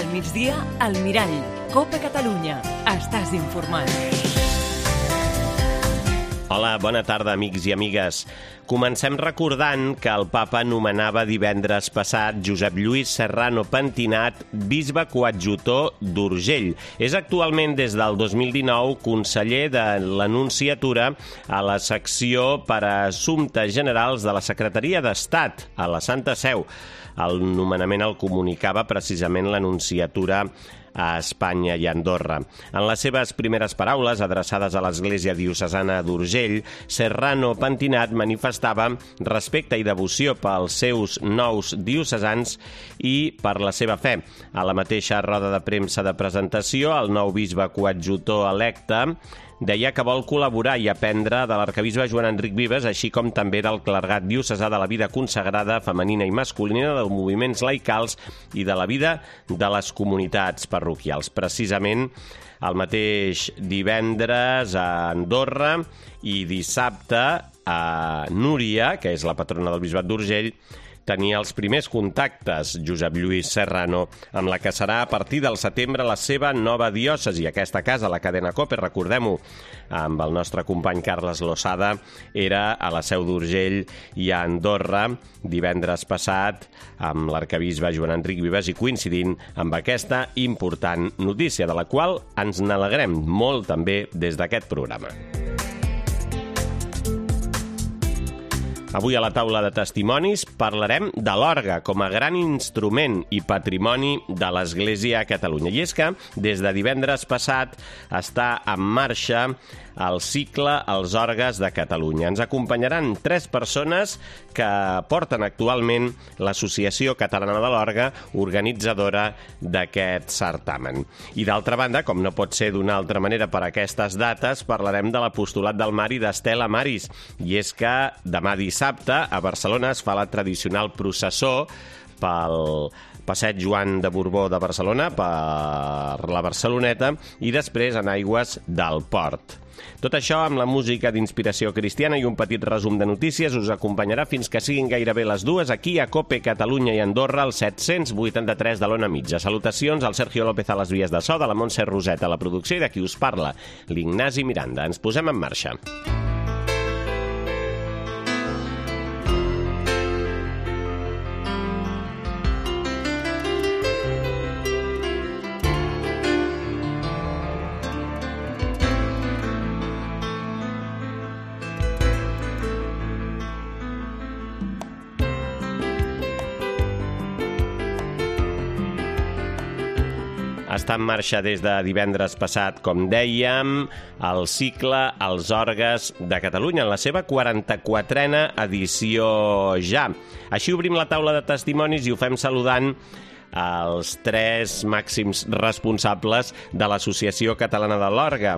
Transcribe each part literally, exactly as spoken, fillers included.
Al migdia, al Mirall. Copa Catalunya. Estàs informat. Hola, bona tarda, amics i amigues. Comencem recordant que el papa nomenava divendres passat Josep Lluís Serrano Pentinat bisbe coadjutor d'Urgell. És actualment, des del dos mil dinou, conseller de l'Anunciatura a la secció per a Assumptes Generals de la Secretaria d'Estat, a la Santa Seu. El nomenament el comunicava precisament l'Anunciatura a Espanya i a Andorra. En les seves primeres paraules, adreçades a l'Església Diocesana d'Urgell, Serrano Pentinat manifestava respecte i devoció pels seus nous diocesans i per la seva fe. A la mateixa roda de premsa de presentació, el nou bisbe coadjutor electe deia que vol col·laborar i aprendre de l'arquebisbe Joan Enric Vives, així com també del clergat diocesà, de la vida consagrada femenina i masculina, dels moviments laicals i de la vida de les comunitats parroquials. Precisament el mateix divendres a Andorra i dissabte a Núria, que és la patrona del bisbat d'Urgell, tenia els primers contactes Josep Lluís Serrano, amb la que serà a partir del setembre la seva nova diòcesi. Aquesta casa, la cadena COPE, recordem-ho, amb el nostre company Carles Losada, era a la Seu d'Urgell i a Andorra divendres passat amb l'arquebisbe Joan Enric Vives i coincidint amb aquesta important notícia, de la qual ens n'alegrem molt també des d'aquest programa. Avui a la taula de testimonis parlarem de l'orgue com a gran instrument i patrimoni de l'Església a Catalunya. I és que des de divendres passat està en marxa el cicle Els orgues de Catalunya. Ens acompanyaran tres persones que porten actualment l'Associació Catalana de l'Orgue, organitzadora d'aquest certamen. I d'altra banda, com no pot ser d'una altra manera per aquestes dates, parlarem de l'apostolat del Mar i d'Estela Maris. I és que demà dissabte a Barcelona es fa la tradicional processó pel Passeig Joan de Borbó de Barcelona, per la Barceloneta, i després en aigües del Port. Tot això amb la música d'inspiració cristiana i un petit resum de notícies us acompanyarà fins que siguin gairebé les dues aquí a COPE Catalunya i Andorra, al set-cents vuitanta-tres de l'Ona Mitja. Salutacions al Sergio López a les vies de so, de la Montse Roset a la producció i de qui us parla, l'Ignasi Miranda. Ens posem en marxa. Està en marxa des de divendres passat, com dèiem, el cicle Els orgues de Catalunya, en la seva quaranta-quatrena edició ja. Així obrim la taula de testimonis i ho fem saludant els tres màxims responsables de l'Associació Catalana de l'Orgue,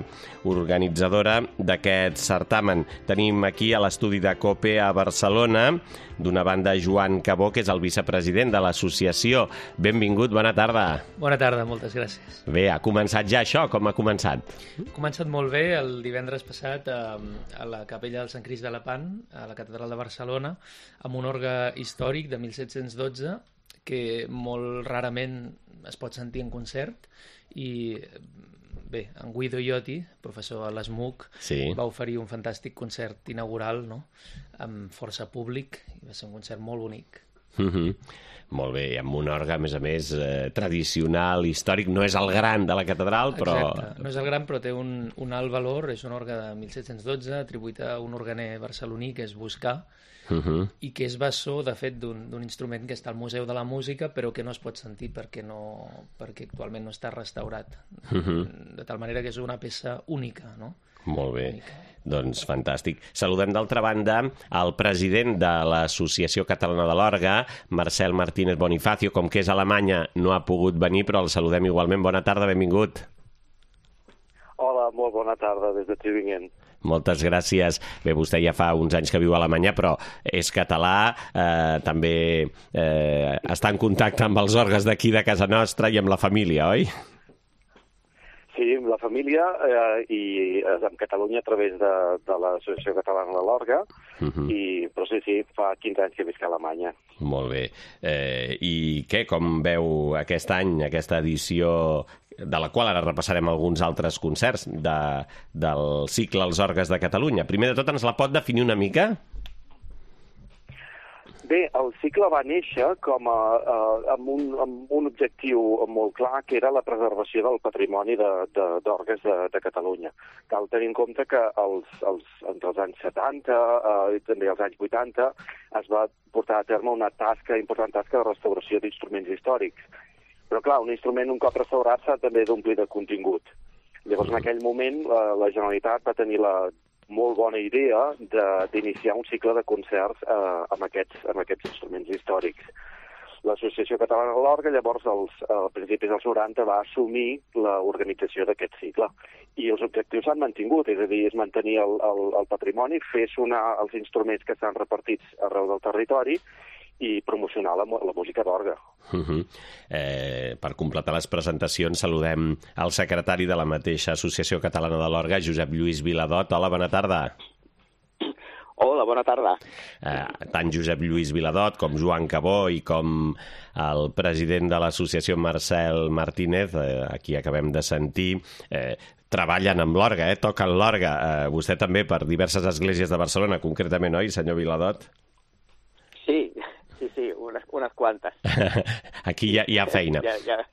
organitzadora d'aquest certamen. Tenim aquí a l'estudi de COPE a Barcelona, d'una banda, Joan Cabó, que és el vicepresident de l'associació. Benvingut, bona tarda. Bona tarda, moltes gràcies. Bé, ha començat ja això? Com ha començat? Ha començat molt bé el divendres passat a, a la capella del Sant Crist de Lepant, a la catedral de Barcelona, amb un orgue històric de mil set-cents dotze, que molt rarament es pot sentir en concert, i bé, en Guido Iotti, professor a l'E S M U C, sí, va oferir un fantàstic concert inaugural, no?, amb força públic, i va ser un concert molt bonic. Mm-hmm. Molt bé, amb un orgue, a més a més, eh, tradicional, històric. No és el gran de la catedral, però... Exacte, no és el gran, però té un, un alt valor. És un orgue de mil set-cents dotze, atribuït a un organer barceloní, que és Buscà, Uh-huh. i que és bessó, de fet, d'un instrument que està al Museu de la Música, però que no es pot sentir perquè, no, perquè actualment no està restaurat. Uh-huh. De tal manera que és una peça única, no? Molt bé, única. Doncs fantàstic. Saludem d'altra banda el president de l'Associació Catalana de l'Orgue, Marcel Martínez Bonifacio, com que és a Alemanya no ha pogut venir, però el saludem igualment. Bona tarda, benvingut. Hola, molt bona tarda des de Tübingen. Moltes gràcies. Bé, vostè ja fa uns anys que viu a Alemanya, però és català, eh, també eh, està en contacte amb els orgues d'aquí de casa nostra i amb la família, oi? Sí, amb la família eh, i eh, en Catalunya a través de, de l'Associació Catalana de l'Orga, uh -huh. i, però sí, sí, fa quinze anys que visc a Alemanya. Molt bé. Eh, I què, com veu aquest any, aquesta edició, de la qual ara repassarem alguns altres concerts de, del cicle Els Orgues de Catalunya? Primer de tot, ens la pot definir una mica? Bé, el cicle va néixer com a, a, amb, un, amb un objectiu molt clar, que era la preservació del patrimoni d'orgues de, de, de, de Catalunya. Cal tenir en compte que els, els, entre els anys setanta eh, i també els anys vuitanta es va portar a terme una tasca, important tasca de restauració d'instruments històrics. Però clar, un instrument un cop restaurat s'ha també d'omplir de contingut. Llavors, en aquell moment, la, la Generalitat va tenir la molt bona idea d'iniciar un cicle de concerts eh, amb, aquests, amb aquests instruments històrics. L'Associació Catalana de l'Orga, llavors, als, a principis dels noranta, va assumir l'organització d'aquest cicle. I els objectius s'han mantingut, és a dir, és mantenir el, el, el patrimoni, fer sonar els instruments que estan repartits arreu del territori i promocionar la, la música d'orga. Uh -huh. eh, per completar les presentacions, saludem el secretari de la mateixa Associació Catalana de l'Orga, Josep Lluís Viladot. Hola, bona tarda. Hola, bona tarda. Eh, tant Josep Lluís Viladot com Joan Cabó i com el president de l'associació Marcel Martínez, eh, aquí acabem de sentir, eh, treballen amb l'orga, eh, toquen l'orga. Eh, vostè també per diverses esglésies de Barcelona, concretament, oi, senyor Viladot? Sí, sí, sí, unes, unes quantes. Aquí hi ha, hi ha feina. Ja, ja.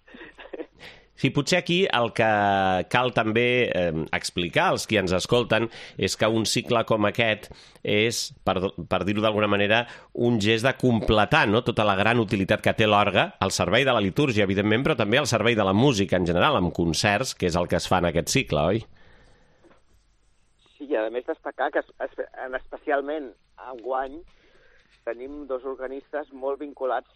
Sí, potser aquí el que cal també eh, explicar als qui ens escolten és que un cicle com aquest és, per, per dir-ho d'alguna manera, un gest de completar, no?, tota la gran utilitat que té l'orga al servei de la litúrgia, evidentment, però també al servei de la música en general, amb concerts, que és el que es fa en aquest cicle, oi? Sí, i a més destacar que es, es, especialment enguany tenim dos organistes molt vinculats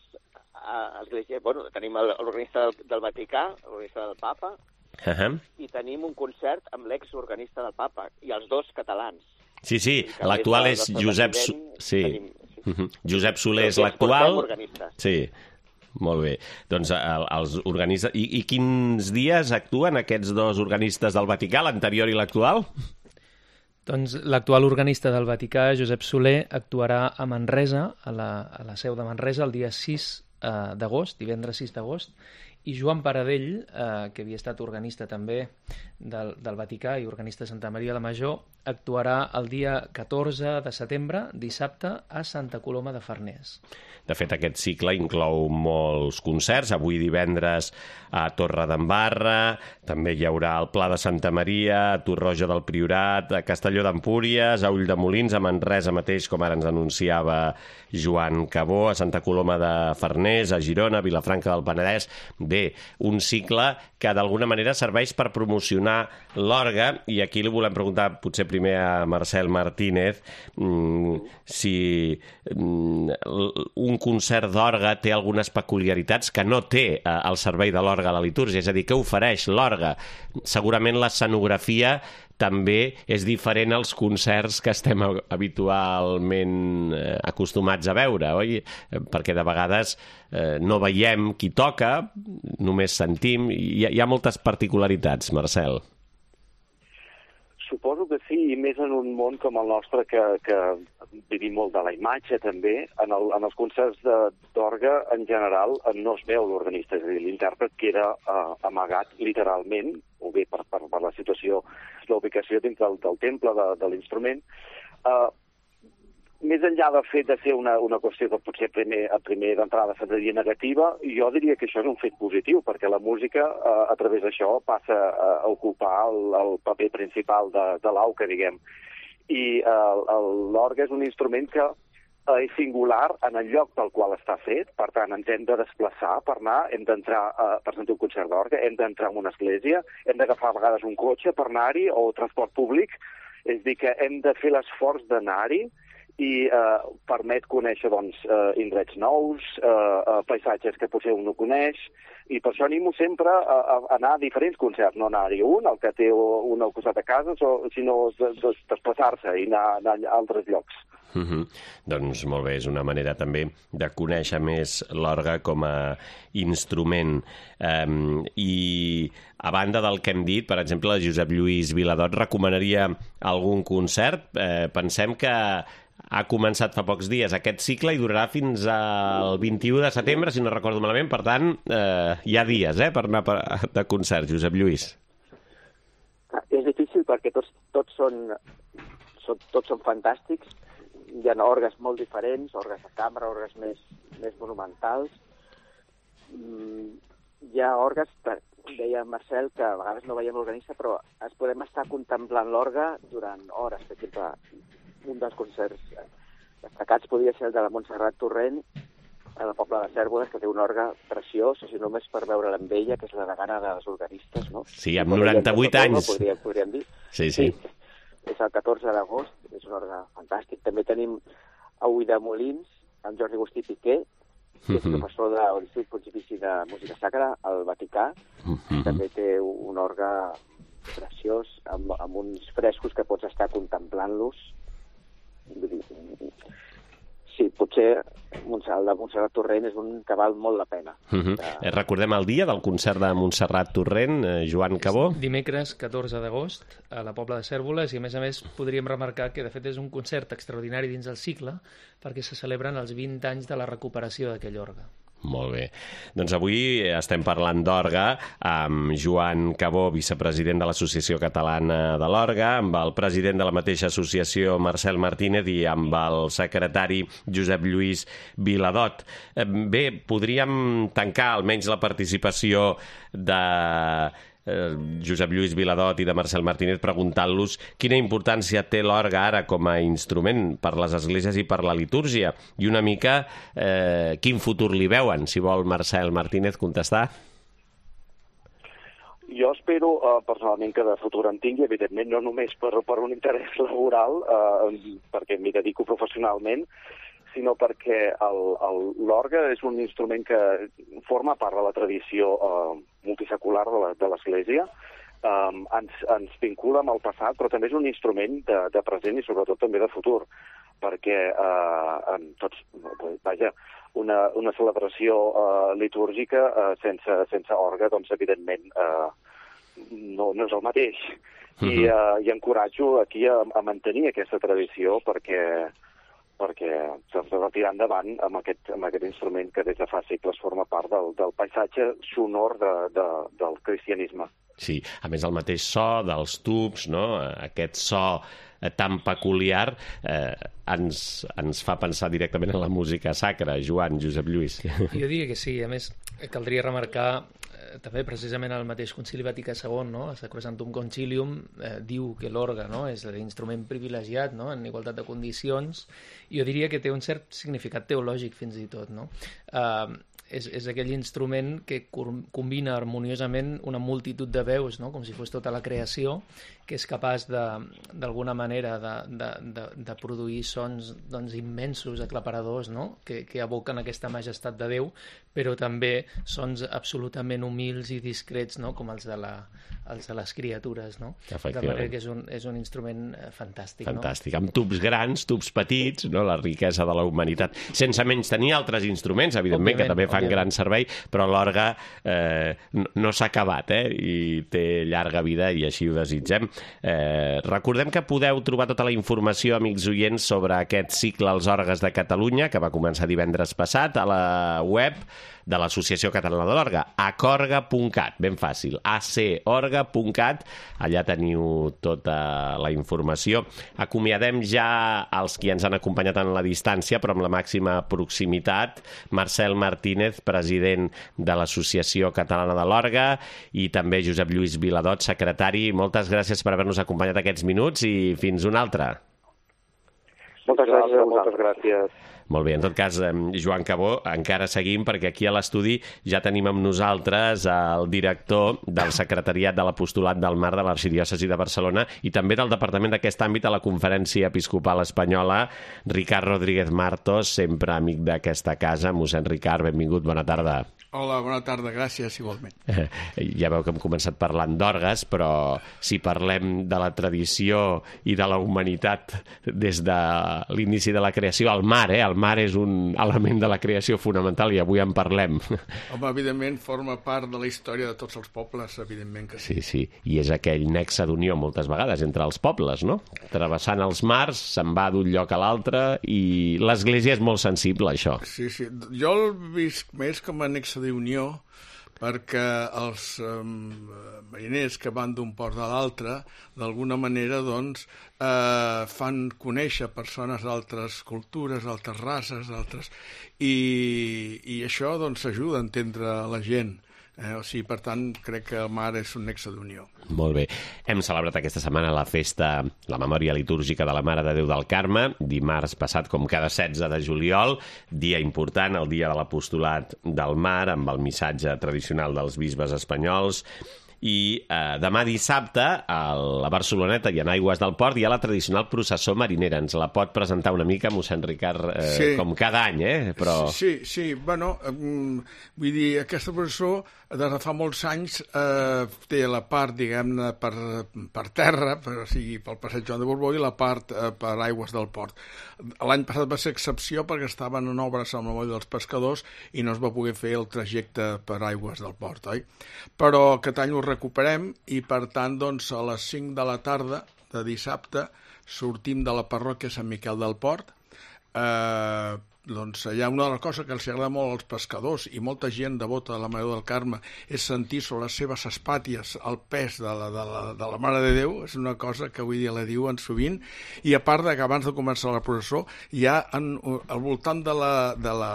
a l'Església. Bueno, tenim l'organista del, del Vaticà, l'organista del Papa, uh -huh. i tenim un concert amb l'exorganista del Papa, i els dos catalans. Sí, sí, l'actual és Josep... Sí. Tenim, sí. Uh -huh. Josep Soler és l'actual. Sí, molt bé. Doncs el, els organistes... I, I quins dies actuen aquests dos organistes del Vaticà, l'anterior i l'actual? Doncs l'actual organista del Vaticà, Josep Soler, actuarà a Manresa, a la, a la seu de Manresa, el dia sis d'agost, divendres sis d'agost, i Joan Paradell, eh, que havia estat organista també del, del Vaticà i organista de Santa Maria la Major, actuarà el dia catorze de setembre, dissabte, a Santa Coloma de Farners. De fet, aquest cicle inclou molts concerts. Avui divendres a Torredembarra, també hi haurà al Pla de Santa Maria, a Torroja del Priorat, a Castelló d'Empúries, a Ulldemolins, a Manresa mateix, com ara ens anunciava Joan Cabó, a Santa Coloma de Farners, a Girona, a Vilafranca del Penedès. Bé, un cicle que d'alguna manera serveix per promocionar l'orga, i aquí li volem preguntar potser primer a Marcel Martínez mmm, si mmm, un concert d'orga té algunes peculiaritats que no té eh, al servei de l'orga a la litúrgia, és a dir, què ofereix l'orga? Segurament l'escenografia també és diferent als concerts que estem habitualment eh, acostumats a veure, oi? Perquè de vegades eh, no veiem qui toca, només sentim, i hi ha, hi ha moltes particularitats, Marcel. Suposo que sí, i més en un món com el nostre que, que vivim molt de la imatge també. En, el, en els concerts d'orga, en general, no es veu l'organista, és a dir, l'intèrpret queda uh, amagat literalment, o bé per, per, per la situació, la ubicació dins del, del temple de, de l'instrument. Uh, més enllà del fet de ser una, una qüestió que potser primer, a primer d'entrada se'n diria negativa, jo diria que això és un fet positiu, perquè la música, eh, a través d'això, passa a, a ocupar el, el paper principal de, de l'auca, diguem. I eh, l'orgue és un instrument que eh, és singular en el lloc pel qual està fet, per tant, ens hem de desplaçar per anar, hem d'entrar eh, per sentir un concert d'orgue, hem d'entrar en una església, hem d'agafar a vegades un cotxe per anar-hi, o transport públic, és a dir, que hem de fer l'esforç d'anar-hi, i eh, permet conèixer doncs, eh, indrets nous, eh, eh, paisatges que potser un no coneix, i per això animo sempre a, a anar a diferents concerts, no anar-hi un, el que té un al costat de casa, sinó desplaçar-se i anar, anar a altres llocs. Uh -huh. Doncs molt bé, és una manera també de conèixer més l'orgue com a instrument. Um, I a banda del que hem dit, per exemple, Josep Lluís Viladot recomanaria algun concert. Eh, pensem que ha començat fa pocs dies aquest cicle i durarà fins al vint-i-u de setembre, si no recordo malament. Per tant, eh, hi ha dies eh, per anar de concert, Josep Lluís. És difícil perquè tots, tots, són, són, tots són fantàstics. Hi ha orgues molt diferents, orgues de cambra, orgues més, més monumentals. Mm, hi ha orgues, deia Marcel, que a vegades no veiem l'organista, però es podem estar contemplant l'orgue durant hores. Per exemple, un dels concerts destacats podria ser el de la Montserrat Torrent, a la Pobla de Cérvoles, que té un orgue preciós, o sigui, només per veure'l amb ella, que és la degana dels organistes, no? Sí, amb noranta-vuit anys. Podríem, podríem dir. Sí, sí. sí. És el catorze d'agost, és un orgue fantàstic. També tenim a Ulldemolins, amb Jordi Agustí Piqué, que és professor de l'Institut Pontifici de Música Sacra, al Vaticà. Uh-huh. També té un orgue preciós, amb, amb uns frescos que pots estar contemplant-los. Sí, potser el de Montserrat Torrent és un que val molt la pena. Uh-huh. De... Recordem el dia del concert de Montserrat Torrent, eh, Joan Cabó. Dimecres catorze d'agost a la Pobla de Cérvoles, i a més a més podríem remarcar que de fet és un concert extraordinari dins del cicle perquè se celebren els vint anys de la recuperació d'aquell orgue. Molt bé. Doncs avui estem parlant d'orgue amb Joan Cabó, vicepresident de l'Associació Catalana de l'Orgue, amb el president de la mateixa associació, Marcel Martínez, i amb el secretari Josep Lluís Viladot. Bé, podríem tancar almenys la participació de Josep Lluís Viladot i de Marcel Martínez preguntant-los quina importància té l'orgue ara com a instrument per les esglésies i per la litúrgia, i una mica eh, quin futur li veuen. Si vol Marcel Martínez contestar. Jo espero eh, personalment que de futur en tingui, evidentment no només per, per un interès laboral, eh, perquè m'hi dedico professionalment, sinó perquè l'orgue és un instrument que forma part de la tradició eh, multisecular de l'Església, eh, ens, ens vincula amb el passat, però també és un instrument de, de present i sobretot també de futur, perquè eh, tots, vaja, una, una celebració eh, litúrgica eh, sense, sense orgue, doncs evidentment eh, no, no és el mateix. Uh-huh. I, eh, i encoratjo aquí a, a mantenir aquesta tradició perquè perquè s'ha de tirar endavant amb aquest, amb aquest instrument que des de fa segles forma part del, del paisatge sonor de, de, del cristianisme. Sí, a més el mateix so dels tubs, no? Aquest so tan peculiar eh, ens, ens fa pensar directament en la música sacra. Joan, Josep Lluís. Jo diria que sí, a més caldria remarcar també precisament el mateix Concili Vaticà segon, no? El Sacrosanctum Concilium eh, diu que l'orgue, no?, és l'instrument privilegiat, no?, en igualtat de condicions. Jo diria que té un cert significat teològic fins i tot, no? Eh, és, és aquell instrument que combina harmoniosament una multitud de veus, no?, com si fos tota la creació, que és capaç d'alguna manera de, de, de, de produir sons doncs, immensos, aclaparadors, no?, que, que evoquen aquesta majestat de Déu, però també sons absolutament humils i discrets, no?, com els de, la, els de les criatures, no? De manera que és un, és un instrument fantàstic. Fantàstic, no? Amb tubs grans, tubs petits, no?, la riquesa de la humanitat. Sense menys tenir altres instruments, evidentment, òbviament, que també fan òbviament. gran servei, però l'orgue eh, no, no s'ha acabat, eh?, i té llarga vida i així ho desitgem. Eh, recordem que podeu trobar tota la informació, amics oients, sobre aquest cicle als orgues de Catalunya, que va començar divendres passat, a la web de l'Associació Catalana de l'Orgue, acorga punt cat, ben fàcil, a c orga punt cat, allà teniu tota la informació. Acomiadem ja els qui ens han acompanyat en la distància, però amb la màxima proximitat. Marcel Martínez, president de l'Associació Catalana de l'Orgue, i també Josep Lluís Viladot, secretari. Moltes gràcies per haver-nos acompanyat aquests minuts i fins una altra. Moltes gràcies. Moltes gràcies. Molt bé, en tot cas, Joan Cabó, encara seguim, perquè aquí a l'estudi ja tenim amb nosaltres el director del Secretariat de l'Apostolat del Mar de l'Arxidiòcesi de Barcelona i també del Departament d'aquest àmbit a la Conferència Episcopal Espanyola, Ricard Rodríguez Martos, sempre amic d'aquesta casa. Mossèn Ricard, benvingut, bona tarda. Hola, bona tarda, gràcies, igualment. Ja veu que hem començat parlant d'orgues, però si parlem de la tradició i de la humanitat des de l'inici de la creació, el mar, eh? El mar és un element de la creació fonamental i avui en parlem. Home, evidentment, forma part de la història de tots els pobles, evidentment que sí. Sí, sí, i és aquell nexe d'unió moltes vegades entre els pobles, no? Travessant els mars, se'n va d'un lloc a l'altre i l'Església és molt sensible a això. Sí, sí, jo el visc més com a nexe d'unió perquè els eh, mariners que van d'un port a l'altre, d'alguna manera, doncs, eh, fan conèixer persones d'altres cultures, d'altres races, d'altres... I, i això, doncs, ajuda a entendre la gent. Eh? O sigui, per tant, crec que el mar és un nexe d'unió. Molt bé. Hem celebrat aquesta setmana la festa, la memòria litúrgica de la Mare de Déu del Carme, dimarts passat, com cada setze de juliol, dia important, el dia de l'Apostolat del Mar, amb el missatge tradicional dels bisbes espanyols. I eh, demà dissabte a la Barceloneta i en Aigües del Port hi ha la tradicional processó marinera. Ens la pot presentar una mica, mossèn Ricard, eh, sí. Com cada any, eh? Però... Sí, sí, bueno, eh, vull dir, aquesta processó des de fa molts anys eh, té la part, diguem-ne, per, per terra, per, o sigui, pel passeig Joan de Borbó, i la part eh, per Aigües del Port. L'any passat va ser excepció perquè estaven en obres amb el moll dels pescadors i no es va poder fer el trajecte per Aigües del Port, oi? Però aquest any ho recuperem i, per tant, doncs, a les cinc de la tarda de dissabte sortim de la parròquia Sant Miquel del Port. Eh, doncs hi ha una de les coses que els agrada molt als pescadors i molta gent devota de la Mare del Carme és sentir sobre les seves espàties el pes de la, de la, de la Mare de Déu. És una cosa que avui dia la diuen sovint, i a part de que abans de començar la processó hi ha en, al voltant de la, de la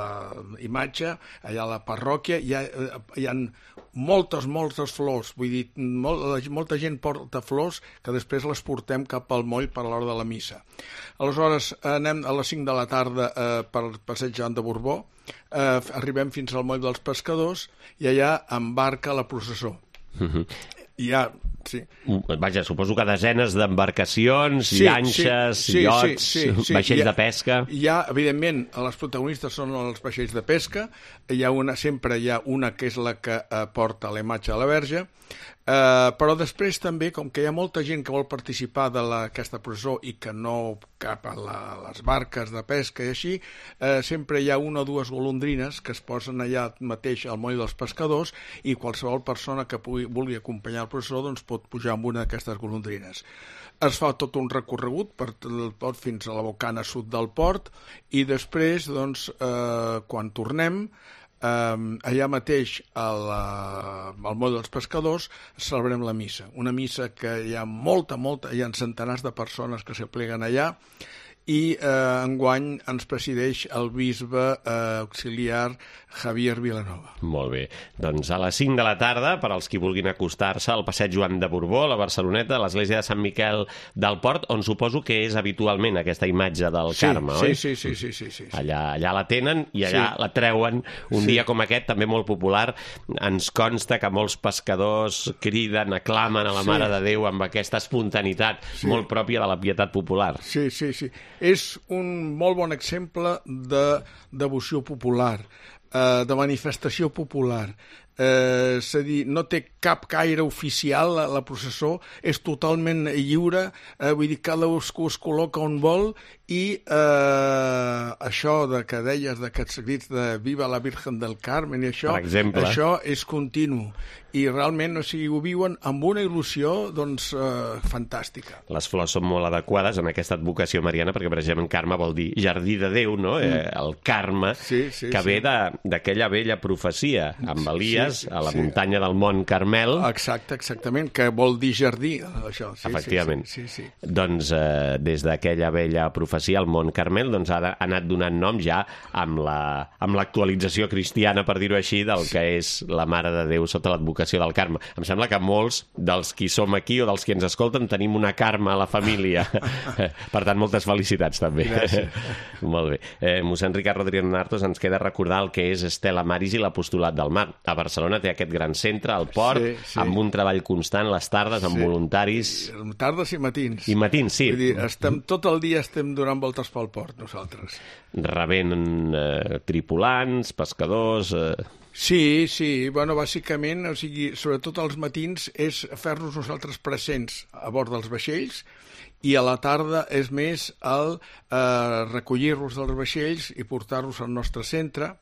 imatge, allà a la parròquia, hi ha, hi ha moltes, moltes flors, vull dir, molt, molta gent porta flors que després les portem cap al moll per a l'hora de la missa. Aleshores, anem a les cinc de la tarda eh, per passeig Joan de Borbó, eh, arribem fins al moll dels pescadors i allà embarca la processó. Uh-huh. Hi ha... Sí. Vaja, suposo que desenes d'embarcacions, sí, llanxes, sí, sí, iots, sí, sí, sí. vaixells ha, de pesca... Hi ha, evidentment, les protagonistes són els vaixells de pesca, hi ha una, sempre hi ha una que és la que eh, porta la imatge de la Verge, eh, però després també, com que hi ha molta gent que vol participar d'aquesta processó i que no cap a la, les barques de pesca i així, eh, sempre hi ha una o dues golondrines que es posen allà mateix al moll dels pescadors i qualsevol persona que pugui, vulgui acompanyar el processó doncs pot pujar amb una d'aquestes golondrines. Es fa tot un recorregut per el port fins a la bocana sud del port i després, doncs, eh, quan tornem, eh, allà mateix al, al moll dels pescadors celebrem la missa. Una missa que hi ha molta, molta, hi ha centenars de persones que s'apleguen allà i eh, enguany ens presideix el bisbe eh, auxiliar Javier Vilanova. Molt bé. Doncs a les cinc de la tarda, per als qui vulguin acostar-se al passeig Joan de Borbó, a la Barceloneta, a l'església de Sant Miquel del Port, on suposo que és habitualment aquesta imatge del sí, Carme, sí, oi? Sí, sí, sí, sí, sí. Allà, allà la tenen i allà sí. La treuen un sí. dia com aquest, també molt popular. Ens consta que molts pescadors criden, aclamen a la sí. Mare de Déu amb aquesta espontaneïtat sí. molt pròpia de la pietat popular. Sí, sí, sí. És un molt bon exemple de devoció popular, eh, de manifestació popular. Eh, és a dir, no té cap caire oficial la, la processó, és totalment lliure, eh, vull dir, cadascú es col·loca on vol i eh, això de que deies d'aquests crits de Viva la Virgen del Carmen i això, això és continu i realment, o sigui, ho viuen amb una il·lusió, doncs, eh, fantàstica. Les flors són molt adequades en aquesta advocació mariana perquè, per exemple, Carme vol dir jardí de Déu, no? Mm. Eh, el Carme, sí, sí, que sí. ve de, d'aquella vella profecia, amb Elias, Sí, sí, a la sí. muntanya del Mont Carmel. Exacte, exactament, que vol dir jardí, això. Sí, Efectivament. Sí, sí, sí. Doncs eh, des d'aquella vella profecia, el Mont Carmel doncs, ha, de, ha anat donant nom ja amb la- amb l'actualització cristiana, per dir-ho així, del que és la Mare de Déu sota l'advocació del Carme. Em sembla que molts dels qui som aquí o dels qui ens escolten tenim una Carme a la família. Per tant, moltes felicitats també. Molt bé. Eh, mossèn Ricard Rodríguez Martos, ens queda recordar el que és Estela Maris i l'Apostolat del Mar. A Barcelona té aquest gran centre, al port, Sí, sí. amb un treball constant, les tardes, amb Sí. voluntaris. Tardes i matins. I matins, sí. Vull dir, estem, tot el dia estem donant voltes pel port, nosaltres. Rebent eh, tripulants, pescadors... Eh... Sí, sí, bueno, bàsicament, o sigui, sobretot als matins, és fer-nos nosaltres presents a bord dels vaixells, i a la tarda és més el eh, recollir-los dels vaixells i portar-los al nostre centre,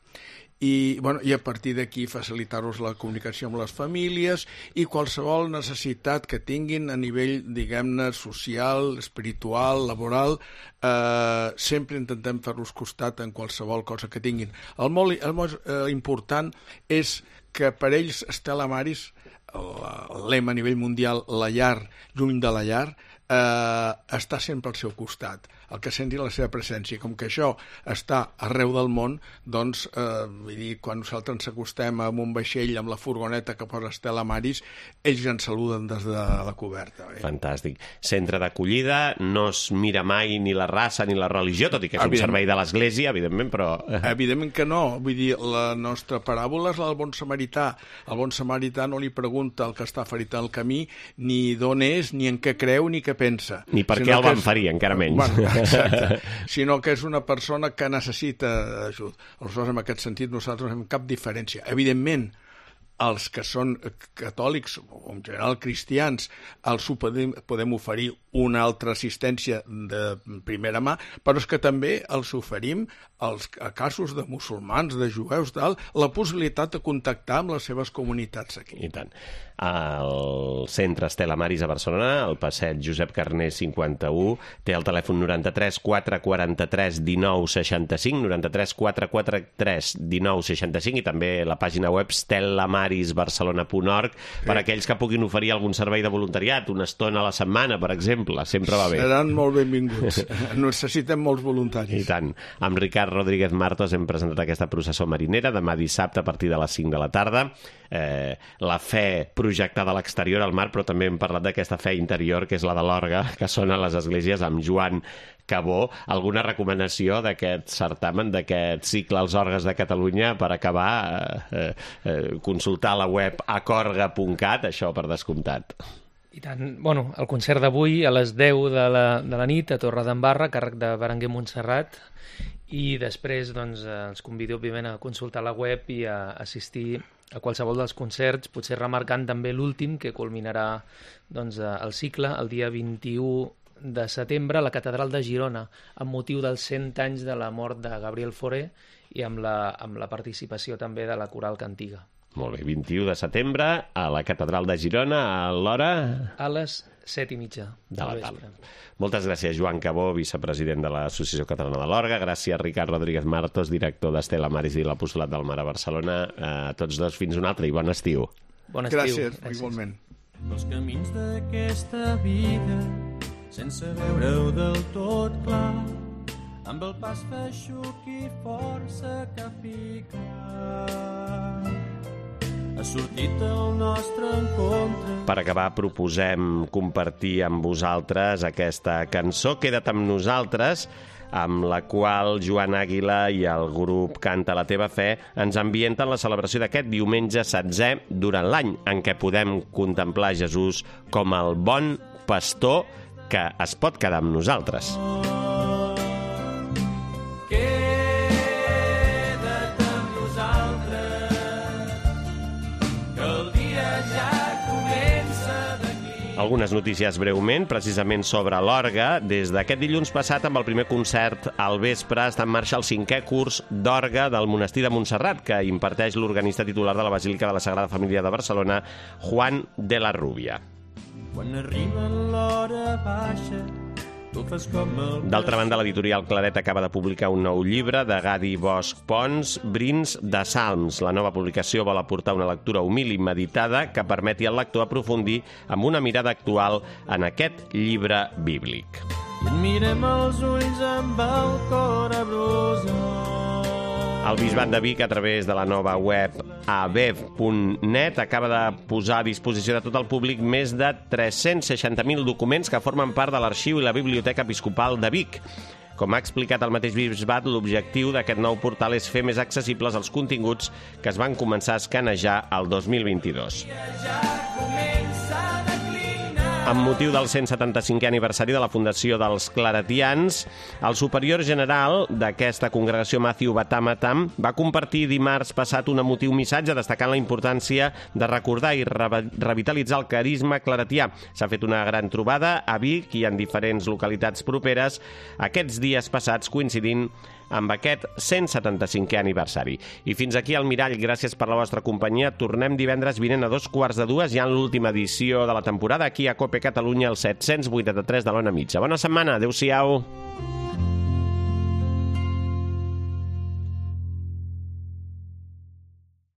i, bueno, i a partir d'aquí facilitar-los la comunicació amb les famílies i qualsevol necessitat que tinguin a nivell, diguem-ne, social, espiritual, laboral, eh, sempre intentem fer-los costat en qualsevol cosa que tinguin. El molt, el molt eh, important és que per ells Estela Maris, el, el lema a nivell mundial, la llar, lluny de la llar, eh, està sempre al seu costat, el que senti la seva presència. Com que això està arreu del món, doncs, eh, vull dir, quan nosaltres ens acostem amb un vaixell amb la furgoneta que posa Estela Maris, ells ens saluden des de la coberta. Eh? Fantàstic. Centre d'acollida, no es mira mai ni la raça ni la religió, tot i que és un Evident. servei de l'Església, evidentment, però... Evidentment que no. Vull dir, la nostra paràbola és la del bon samarità. El bon samarità no li pregunta al que està ferit al camí ni d'on és, ni en què creu, ni què pensa. Ni per Sinó què el que van és- ferir, encara menys. Bueno, exacte. Sinó que és una persona que necessita ajut. Aleshores, en aquest sentit, nosaltres no fem cap diferència. Evidentment, els que són catòlics, o en general cristians, els ho podem, podem oferir una altra assistència de primera mà, però és que també els oferim als a casos de musulmans, de jueus, tal, la possibilitat de contactar amb les seves comunitats aquí. I tant. El centre Estela Maris a Barcelona, al passeig Josep Carner cinquanta-u, té el telèfon noranta-tres quatre quaranta-tres dinou seixanta-cinc, noranta-tres quatre quaranta-tres dinou seixanta-cinc, i també la pàgina web stellamarisbarcelona punt org per a aquells que puguin oferir algun servei de voluntariat, una estona a la setmana, per exemple, sempre va bé. Seran molt benvinguts. Necessitem molts voluntaris. I tant. Amb Ricard Rodríguez Martos hem presentat aquesta processó marinera demà dissabte a partir de les cinc de la tarda. Eh, la fe projectada a l'exterior al mar, però també hem parlat d'aquesta fe interior, que és la de l'orgue, que sona a les esglésies amb Joan Cabó. Alguna recomanació d'aquest certamen, d'aquest cicle als orgues de Catalunya per acabar? Eh, eh, consultar la web acorga punt cat, això per descomptat. I tant, bueno, el concert d'avui a les deu de la, de la nit a Torredembarra, a càrrec de Berenguer Montserrat, i després doncs, eh, els convido, òbviament, a consultar la web i a assistir a qualsevol dels concerts, potser remarcant també l'últim, que culminarà doncs, eh, el cicle el dia vint-i-u de setembre a la Catedral de Girona, amb motiu dels cent anys de la mort de Gabriel Fauré i amb la, amb la participació també de la Coral Cantiga. Molt bé, vint-i-u de setembre a la Catedral de Girona, a l'hora... A les set i mitja de la del tarda. vespre. Moltes gràcies, Joan Cabó, vicepresident de l'Associació Catalana de l'Orgue. Gràcies, Ricard Rodríguez Martos, director d'Estela Maris i l'Apostolat del Mar a Barcelona. A tots dos, fins un altre i bon estiu. Bon estiu. Gràcies, igualment. Els camins d'aquesta vida, sense veure-ho del tot clar, amb el pas feixuc i força que pica. Ha sortit el nostre encontre. Per acabar, proposem compartir amb vosaltres aquesta cançó, Queda't amb nosaltres, amb la qual Joan Àguila i el grup Canta la teva fe ens ambienten la celebració d'aquest diumenge setzè durant l'any, en què podem contemplar Jesús com el bon pastor que es pot quedar amb nosaltres. Queda't amb nosaltres, que el dia ja comença d'aquí. Algunes notícies breument, precisament sobre l'orgue. Des d'aquest dilluns passat, amb el primer concert al vespre, està en marxa el cinquè curs d'orgue del Monestir de Montserrat, que imparteix l'organista titular de la Basílica de la Sagrada Família de Barcelona, Juan de la Rubia. Quan arriba l'hora baixa, tu fas com el... D'altra banda, l'editorial Claret acaba de publicar un nou llibre de Gadi Bosch Pons, Brins de Salms. La nova publicació vol aportar una lectura humil i meditada que permeti al lector aprofundir amb una mirada actual en aquest llibre bíblic. I et mirem els ulls amb el cor abrosat. El Bisbat de Vic, a través de la nova web a bev punt net, acaba de posar a disposició de tot el públic més de tres-cents seixanta mil documents que formen part de l'arxiu i la Biblioteca Episcopal de Vic. Com ha explicat el mateix Bisbat, l'objectiu d'aquest nou portal és fer més accessibles els continguts que es van començar a escanejar el dos mil vint-i-dos. Amb motiu del cent setanta-cinquè aniversari de la fundació dels Claretians, el superior general d'aquesta congregació, Matthew Batamatam, va compartir dimarts passat un emotiu missatge destacant la importància de recordar i re revitalitzar el carisma claretià. S'ha fet una gran trobada a Vic i en diferents localitats properes aquests dies passats, coincidint amb aquest cent setanta-cinquè aniversari. I fins aquí el Mirall, gràcies per la vostra companyia. Tornem divendres vinent a dos quarts de dues, ja en l'última edició de la temporada, aquí a Cope Catalunya, el set-cents vuitanta-tres de l'Ona Mitja. Bona setmana, adeu-siau.